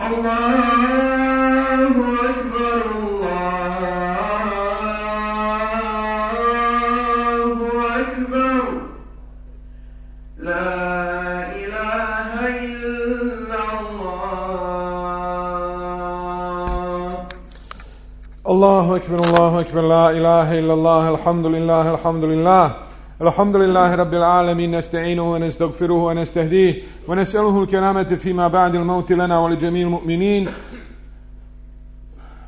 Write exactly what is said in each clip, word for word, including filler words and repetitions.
Allahu Ekber, Allahu Ekber, la ilaha illallah. Allahu Ekber, Allahu Ekber, la ilaha illallah, alhamdulillah, alhamdulillah. الحمد لله رب العالمين نستعينه ونستغفره ونستهديه ونسأله الكرامة فيما بعد الموت لنا ولجميع المؤمنين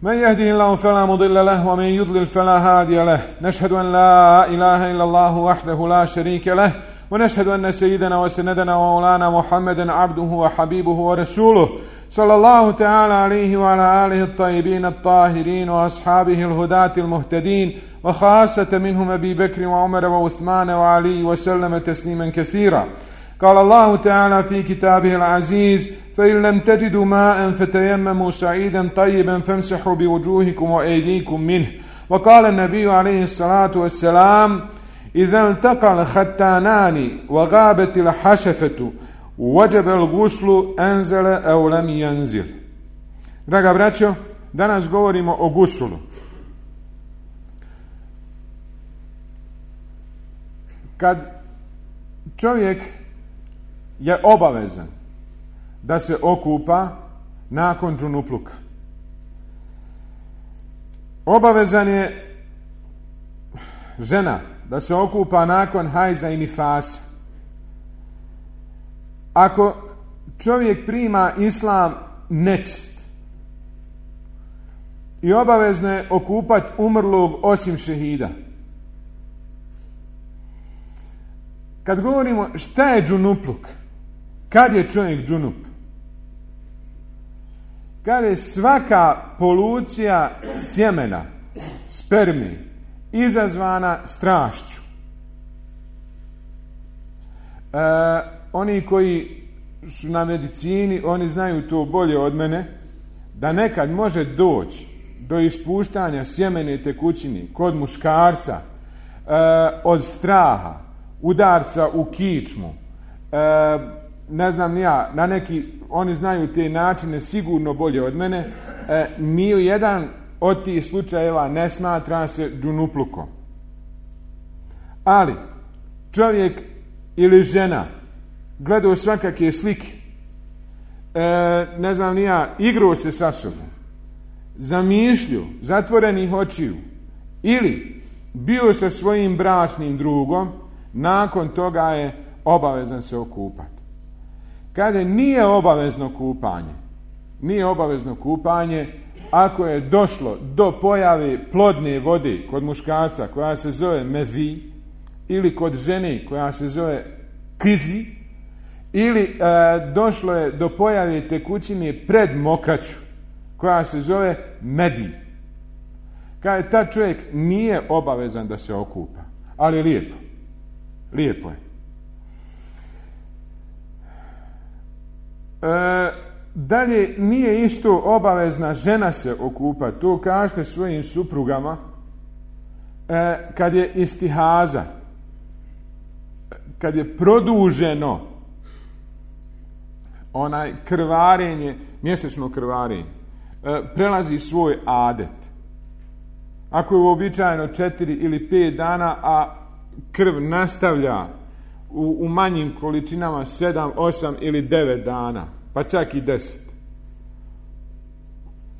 من يهده الله فلا مضل له ومن يضلل فلا هادي له نشهد أن لا إله إلا الله وحده لا شريك له ونشهد أن سيدنا وسندنا ومولانا محمدا عبده وحبيبه ورسوله صلى الله تعالى عليه وعلى آله الطيبين الطاهرين وأصحابه الهداة المهتدين وخاصة منهم أبي بكر وعمر وعثمان وعلي وسلم تسليما كثيرا. قال الله تعالى في كتابه العزيز فإن لم تجدوا ماء فتيمموا سعيدا طيبا فامسحوا بوجوهكم وأيديكم منه. وقال النبي عليه الصلاة والسلام إذا التقى الختانان وغابت الحشفة وجب الغسل أنزل أو لم ينزل. Draga braćo, danas govorimo o gusulu. Kad čovjek je obavezan da se okupa nakon džunupluka, obavezan je žena da se okupa nakon hajza i nifasa. Ako čovjek prima islam nečist i obavezno je okupat umrlog osim šehida. Kad govorimo šta je džunupluk, kad je čovjek džunup? Kad je svaka polucija sjemena, spermi, izazvana strašću. E, oni koji su na medicini, oni znaju to bolje od mene, da nekad može doći do ispuštanja sjemene tekućine kod muškarca e, od straha, udarca u kičmu, e, ne znam ja, na neki, oni znaju te načine sigurno bolje od mene, e, ni u jedan od tih slučajeva ne smatra se džunuplukom. Ali čovjek ili žena gledao svakakve slike, e, ne znam ni ja, igrao se sa sobom, zamišljio, zatvorenih očiju, ili bio sa svojim bračnim drugom, nakon toga je obavezan se okupati. Kada nije obavezno kupanje, nije obavezno kupanje ako je došlo do pojave plodne vode kod muškarca koja se zove mezi, ili kod žene koja se zove kizi, ili e, došlo je do pojave tekućine pred mokraću koja se zove medi. Kada ta čovjek nije obavezan da se okupa, ali lijepo. Lijepo je. E, dalje, nije isto obavezna žena se okupa. To kažete svojim suprugama e, kad je istihaza, kad je produženo onaj krvarenje, mjesečno krvarenje, e, prelazi svoj adet. Ako je uobičajeno četiri ili pet dana, a krv nastavlja u, u manjim količinama sedam, osam ili devet dana, pa čak i deset.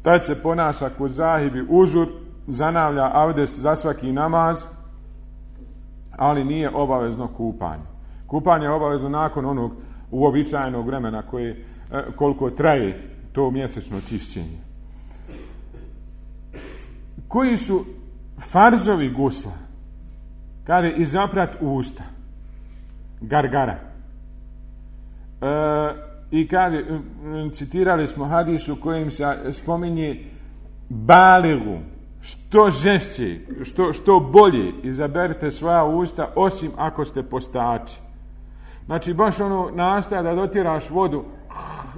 Tad se ponaša ko zahibi uzur, zanavlja avdest za svaki namaz, ali nije obavezno kupanje. Kupanje je obavezno nakon onog uobičajenog vremena koje, koliko traje to mjesečno čišćenje. Koji su farzovi gusla? Kada je izaprat usta, gargara. E, I kada citirali smo hadis u kojem se spominje baligu, što žešće, što, što bolje izaberite svoja usta, osim ako ste postači. Znači baš ono nastaje da dotiraš vodu,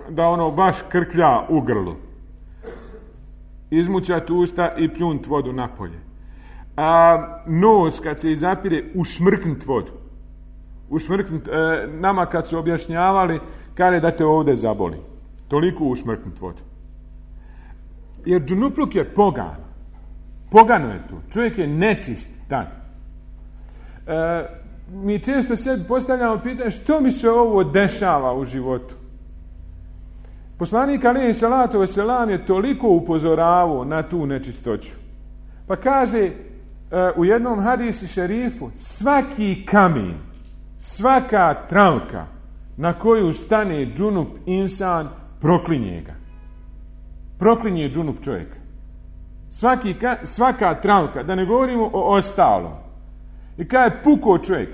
da ono baš krklja u grlu. Izmućati usta i pljunt vodu napolje. A nos kad se izapire, ušmrknut vodu. Ušmrknut, e, nama kad su objašnjavali, kada da te ovdje zaboli. toliko ušmrknut vodu. Jer džunupluk je pogan. Pogano je to. Čovjek je nečist tad. E, mi često sebi postavljamo pitanje što mi se ovo dešava u životu. Poslanik alejhi salatu vesselam je toliko upozoravao na tu nečistoću. Pa kaže e, u jednom hadisi šerifu, svaki kamen, svaka travka na koju stane džunup insan, proklinje ga. Proklinje džunup čovjeka. Svaki, svaka travka, da ne govorimo o ostalom. I kada je pukao čovjek,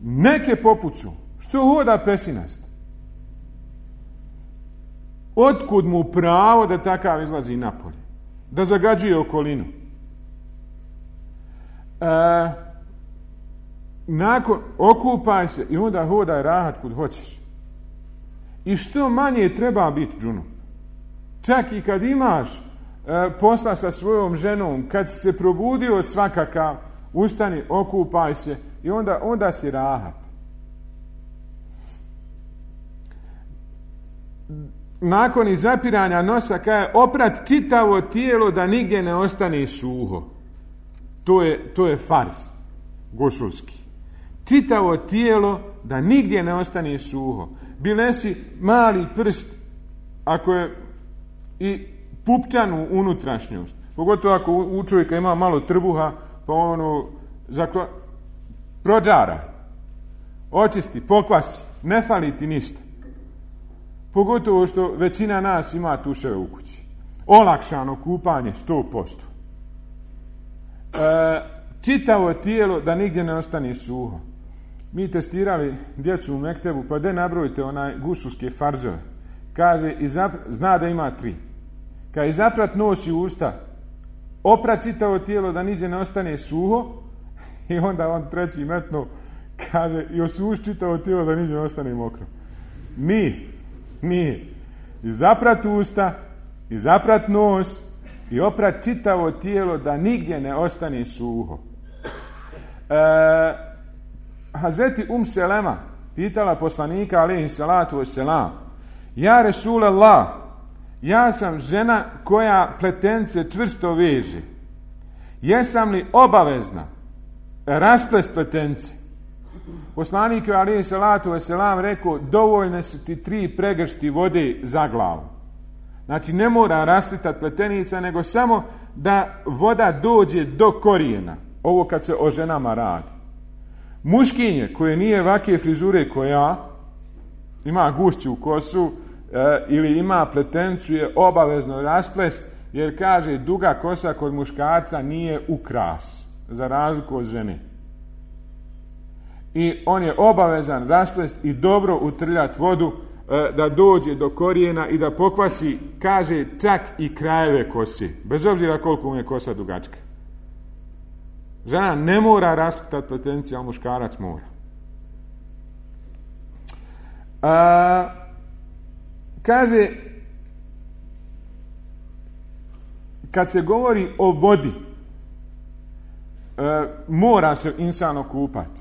neke popucu, što hoda pesinast. Otkud mu pravo da takav izlazi napolje? Da zagađuje okolinu? E, nakon, okupaj se i onda hodaj rahat kud hoćeš. I što manje treba biti džunup. Čak i kad imaš e, posla sa svojom ženom, kad si se probudio svakakav, ustani, okupaj se i onda, onda si rahat. Nakon izapiranja nosa kaže oprat čitavo tijelo da nigdje ne ostane suho. To je, to je farz gusulski. Čitavo tijelo da nigdje ne ostane suho. Bilesi mali prst, ako je i pupčanu unutrašnjost, pogotovo ako u čovjeka ima malo trbuha, pa ono zakla, prođara, očisti, pokvasi, ne fali ti ništa. Pogotovo što većina nas ima tuševe u kući. Olakšano kupanje sto posto. E, čitavo tijelo da nigdje ne ostane suho. Mi testirali djecu u mektebu, pa de nabrojite onaj gusulske farzove. Kaže, izaprat, zna da ima tri. Kaže, izaprat nos i usta, oprat čitavo tijelo da nigdje ne ostane suho, i onda on treći metno kaže, i osuši čitavo tijelo da nigdje ne ostane mokro. Nije. Nije. Izaprat usta, izaprat nos i oprat čitavo tijelo da nigdje ne ostane suho. E, Hazreti Um Selema pitala poslanika alejhi salatu vesselam, ja Resulallah, ja sam žena koja pletence čvrsto veže. Jesam li obavezna rasplest pletence? Poslanik je alejhi salatu vesselam rekao, dovoljne su ti tri pregršti vode za glavu. Znači ne mora rasplitati pletenica, nego samo da voda dođe do korijena. Ovo kad se o ženama radi. Muškinje koje nije ovakve frizure koja ima gušću kosu e, ili ima pletencu je obavezno rasplest, jer kaže duga kosa kod muškarca nije ukras, za razliku od žene. I on je obavezan rasplest i dobro utrljati vodu e, da dođe do korijena i da pokvasi, kaže, čak i krajeve kose, bez obzira koliko mu je kosa dugačka. Žena ne mora rasplitati pletenciju, a muškarac mora. A, kaže, kad se govori o vodi, e, mora se insan okupati.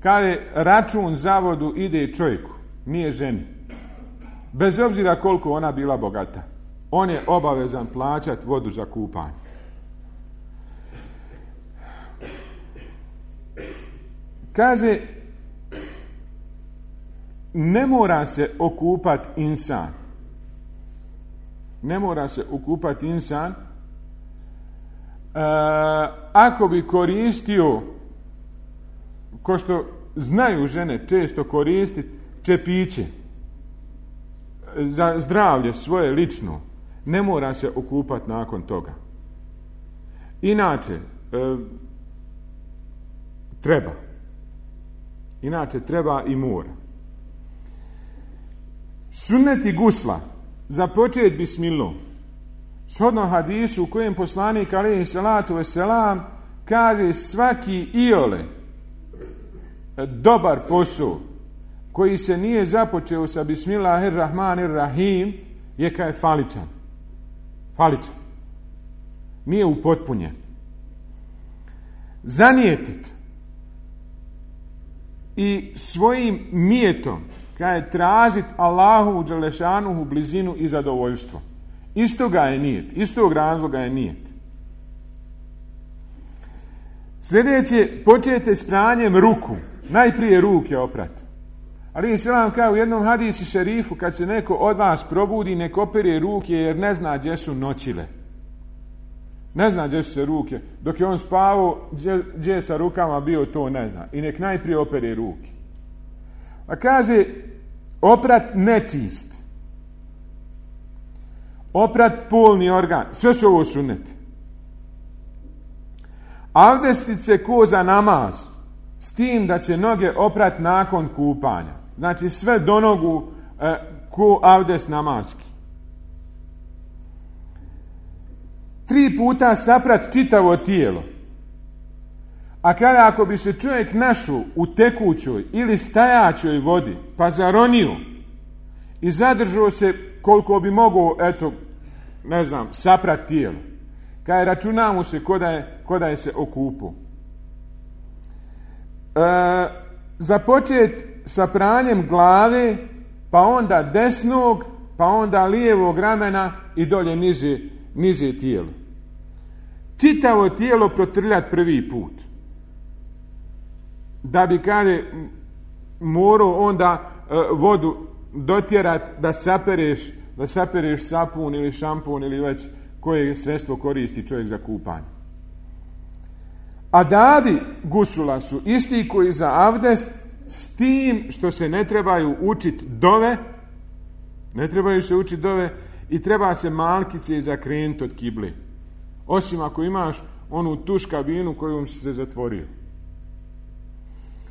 Kaže, račun za vodu ide čovjeku, nije ženi. Bez obzira koliko ona bila bogata. On je obavezan plaćati vodu za kupanje. Kaže, ne mora se okupati insan. Ne mora se okupati insan. E, ako bi koristio, ko što znaju žene često koristiti, čepiće za zdravlje svoje lično, ne mora se okupati nakon toga. Inače, e, treba. Inače treba i mora. Sunneti gusla, započet bismillah. Shodno hadisu u kojem poslanik alejhi salatu vesselam kaže, svaki iole dobar posao koji se nije započeo sa bismillahirrahmanirrahim je kao faličan. Faličan. Nije upotpunjen. Zanijetit i svojim mijetom, kaže tražit Allahu dželešanuhu blizinu i zadovoljstvo. Iz toga je nijet, iz tog razloga je nijet. Sljedeće, počete s pranjem ruku. Najprije ruke oprati. Ali Islam kao u jednom hadisi šerifu, kad se neko od vas probudi, nek opere ruke jer ne zna gdje su noćile. Ne zna gdje su se ruke. Dok je on spavao, gdje, gdje je sa rukama bio, to ne zna. I nek najprije opere ruke. A kaže, oprat nečist. Oprat polni organ. Sve su ovo sunneti. Avdestit se ko za namaz, s tim da će noge oprat nakon kupanja. Znači sve do nogu e, ko avdest namazki. Tri puta saprat čitavo tijelo. A kada ako bi se čovjek našao u tekućoj ili stajaćoj vodi, pa zaronio i zadržao se koliko bi mogao, eto, ne znam, saprat tijelo, kada računa mu se ko da je, ko da je se okupao. E, započet sa pranjem glave, pa onda desnog, pa onda lijevog ramena i dolje niže, niže tijelo. Čitavo tijelo protrljati prvi put. Da bi kaže morao onda e, vodu dotjerat da sapereš, da sapereš sapun ili šampun ili već koje sredstvo koristi čovjek za kupanje. Adabi gusula su isti koji za avdest, s tim što se ne trebaju učiti dove, ne trebaju se učiti dove i treba se malkice zakrenuti od kible. Osim ako imaš onu tuš kabinu kojom si se zatvorio.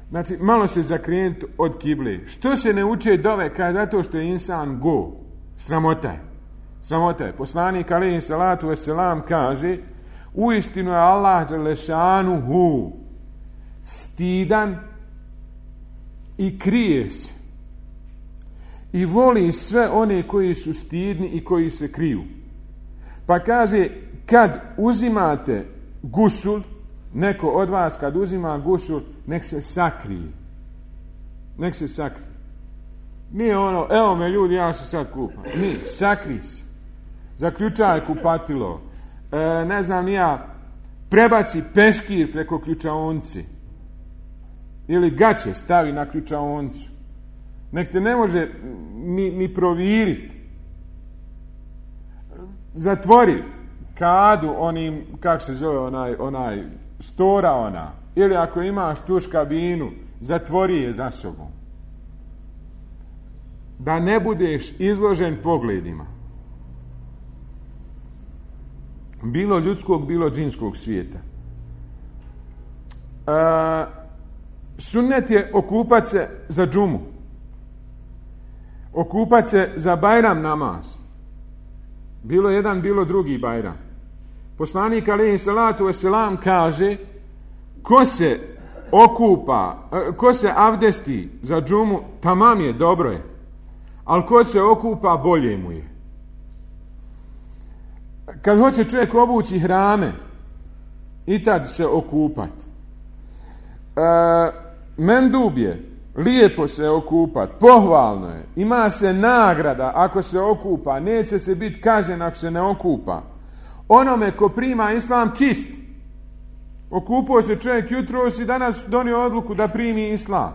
Znači, malo se zakrenuti od kible. Što se ne uče dove? Kaže, zato što je insan go. Sramota je. Sramota je. Poslanik alejhi salatu vesselam kaže, uistinu je Allah dželešanuhu stidan i krije se. I voli sve one koji su stidni i koji se kriju. Pa kaže, kad uzimate gusul, neko od vas kad uzima gusul, nek se sakrije. Nek se sakrije. Nije ono, evo me ljudi, ja se sad kupam. Nije, sakri se. Zaključaj kupatilo. E, ne znam ni ja, prebaci peškir preko ključaonci. Ili gaće stavi na ključaoncu. Nek te ne može ni, ni proviriti. Zatvori kadu onim, kako se zove onaj, onaj stora ona. Ili ako imaš tuš kabinu, zatvori je za sobom. Da ne budeš izložen pogledima. Bilo ljudskog, bilo džinskog svijeta. E, sunnet je okupat se za džumu. Okupat se za Bajram namaz. Bilo jedan, bilo drugi Bajram. Poslanik alejhi salatu vesselam kaže, ko se okupa, ko se avdesti za džumu, tamam je, dobro je. Ali ko se okupa, bolje mu je. Kad hoće čovjek obući hrame, i tad se okupat. E, mendub je, lijepo se okupat, pohvalno je, ima se nagrada ako se okupa, neće se biti kažen ako se ne okupa. Onome ko prima islam čist. Okupao se čovjek jutros i danas donio odluku da primi islam.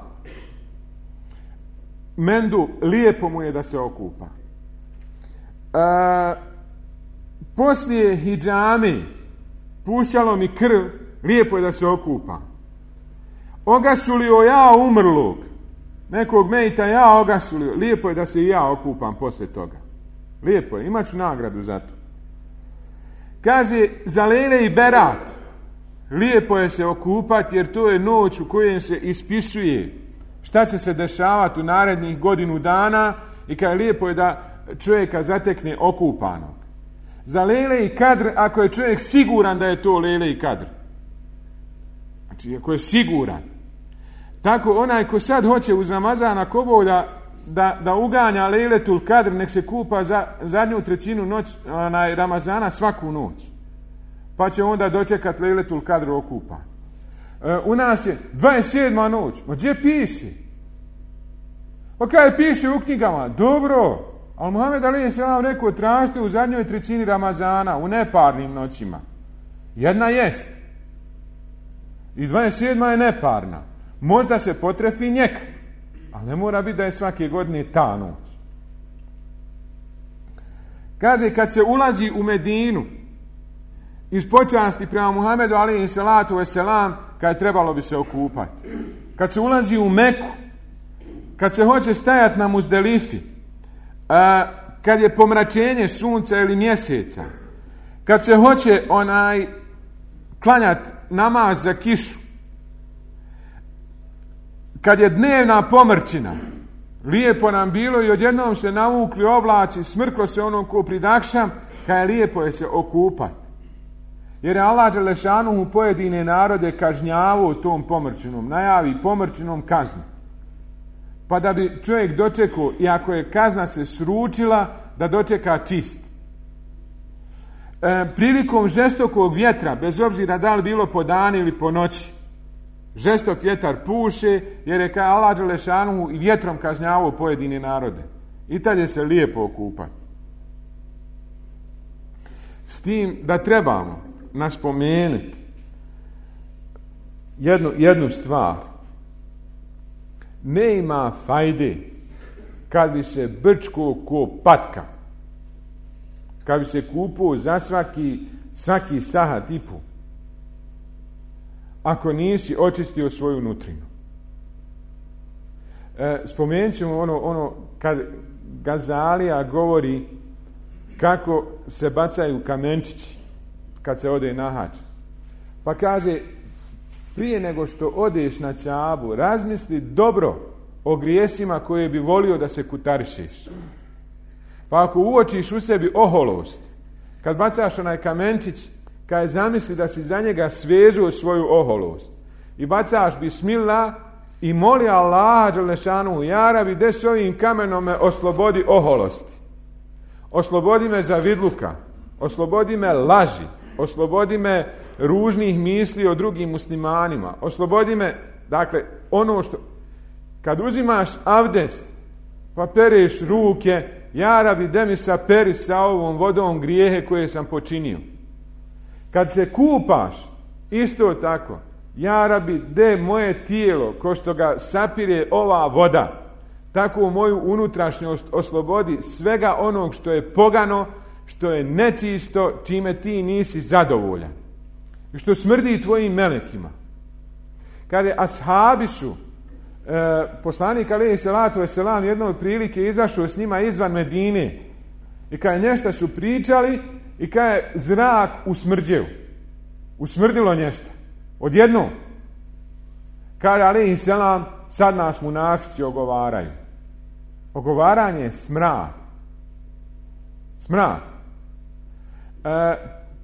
Mendu, lijepo mu je da se okupa. E, poslije hidžame, pušćalo mi krv, lijepo je da se okupa. Ogasulio ja umrlog, nekog mejta ja ogasulio, lijepo je da se i ja okupam poslije toga. Lijepo je, imat ću nagradu za to. Kaže, za Lejle i Berat, lijepo je se okupati jer to je noć u kojem se ispisuje šta će se dešavati u narednih godinu dana i kaže, lijepo je da čovjeka zatekne okupanog. Za Lejle i Kadr, ako je čovjek siguran da je to Lejle i Kadr. Znači, ako je siguran. Tako onaj ko sad hoće uz Ramazana kobo da, da, da uganja Lejletul Kadr, nek se kupa za zadnju trećinu noć, onaj, Ramazana svaku noć. Pa će onda dočekati Lejletul Kadr okupan. E, u nas je dvadeset sedma noć. Ma gdje piše? Pa kaj piše u knjigama? Dobro, ali Muhammed alejhi selam rekao tražite u zadnjoj trećini Ramazana, u neparnim noćima. Jedna jest. I dvadeset sedma je neparna. Možda se potrefi nekad, ali ne mora biti da je svake godine ta noć. Kaže, kad se ulazi u Medinu, iz počasti prema Muhammedu alejhi salatu vesselam, kad trebalo bi se okupati. Kad se ulazi u Meku, kad se hoće stajati na Muzdelifi, a, kad je pomračenje sunca ili mjeseca, kad se hoće onaj klanjati namaz za kišu, kad je dnevna pomrčina, lijepo nam bilo i odjednom se navukli oblaci, smrklo se ono ko pridakšam, kad je lijepo je se okupati. Jer je Allah dželešanuhu pojedine narode kažnjavao tom pomrčinom, najavi pomrčinom kaznu. Pa da bi čovjek dočekao, i ako je kazna se sručila, da dočeka čist. E, prilikom žestokog vjetra, bez obzira da li bilo po danu ili po noći, žestok vjetar puše, jer je kao Allah dželešanuhu i vjetrom kažnjavao pojedine narode. I tad je se lijepo okupati. S tim da trebamo naspomenuti jednu, jednu stvar. Ne ima fajde kad bi se brčko ko patka, kad bi se kupao za svaki, svaki sahat i po, ako nisi očistio svoju nutrinu. E, spomenut ćemo ono, ono kad Gazalija govori kako se bacaju kamenčići kad se ode na hač. Pa kaže, prije nego što odeš na Kaabu, razmisli dobro o grijesima koje bi volio da se kutarišeš. Pa ako uočiš u sebi oholost, kad bacaš onaj kamenčić, kad je zamisli da si za njega svežuo svoju oholost i bacaš bismillah i moli Allaha dželešanu, ja rabi, de s ovim kamenom me oslobodi oholosti, oslobodi me zavidluka, oslobodi me laži, oslobodi me ružnih misli o drugim muslimanima, oslobodi me, dakle, ono što, kad uzimaš avdest, pa pereš ruke, ja rabi, de mi saperi sa ovom vodom grijehe koje sam počinio. Kad se kupaš, isto tako, ja rabi, de moje tijelo, ko što ga sapire ova voda, tako moju unutrašnjost oslobodi svega onog što je pogano, što je nečisto, čime ti nisi zadovoljan. I što smrdi tvojim melekima. Kad je ashabi su, e, poslanik alejhi salatu vesselam jednom prilike izašao s njima izvan Medine i kad je nešto su pričali i kad je zrak usmrđeo, usmrdilo nešto. Odjednom, kad je alejhi selam, sad nas munafici ogovaraju. Ogovaranje je smrad. Smrad. E,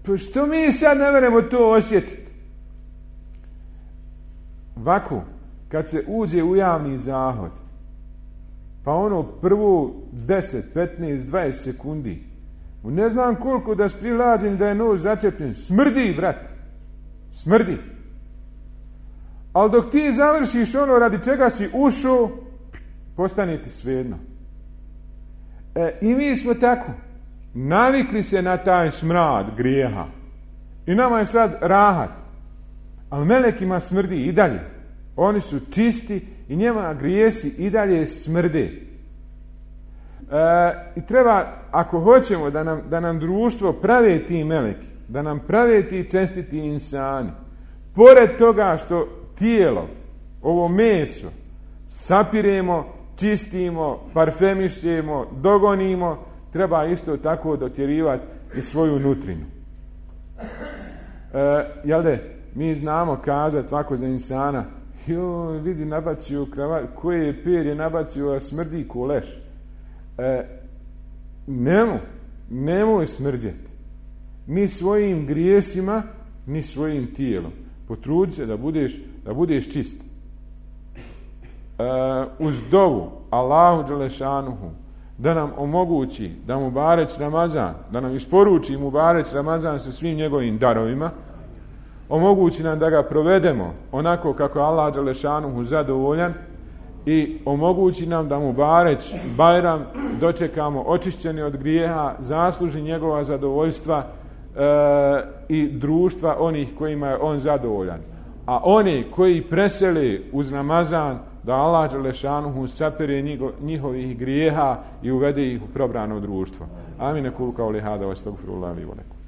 pa što mi sad ne veremo to osjetiti? Ovako, kad se uđe u javni zahod, pa ono prvo deset, petnaest, dvadeset sekundi, ne znam koliko da sprilađem da je nos začepljen, smrdi, brat, smrdi. Ali dok ti završiš ono radi čega si ušao, postane ti svejedno. E, i mi smo tako navikli se na taj smrad grijeha i nama je sad rahat, ali melekima smrdi i dalje. Oni su čisti i njima grijesi i dalje smrde. E, i treba, ako hoćemo da nam, da nam društvo prave ti meleki, da nam prave ti čestiti insani, pored toga što tijelo, ovo meso, sapiremo, čistimo, parfemišemo, dogonimo, treba isto tako dotjerivati i svoju nutrinu. E, jel de, mi znamo kazati ovako za insana, joj, vidi, nabacio kravat, koje je perje nabacio, a smrdi ko leš. E, nemoj, nemoj smrđeti. Ni svojim grijesima, ni svojim tijelom. Potrudi se da budeš, da budeš čist. Uh, uz dovu Allahu dželešanuhu da nam omogući da mu bareć Ramazan, da nam isporuči mu bareć Ramazan sa svim njegovim darovima, omogući nam da ga provedemo onako kako Allah dželešanuhu zadovoljan i omogući nam da mu Bareć, Bajram dočekamo očišćeni od grijeha, zasluži njegova zadovoljstva e, i društva onih kojima je on zadovoljan. A oni koji preseli uz Ramazan, da Allah dželešanuhu sapere njihovih grijeha i uvede ih u probrano društvo. Amin. Kul kauli hada, wa astagfirullah li wa lakum.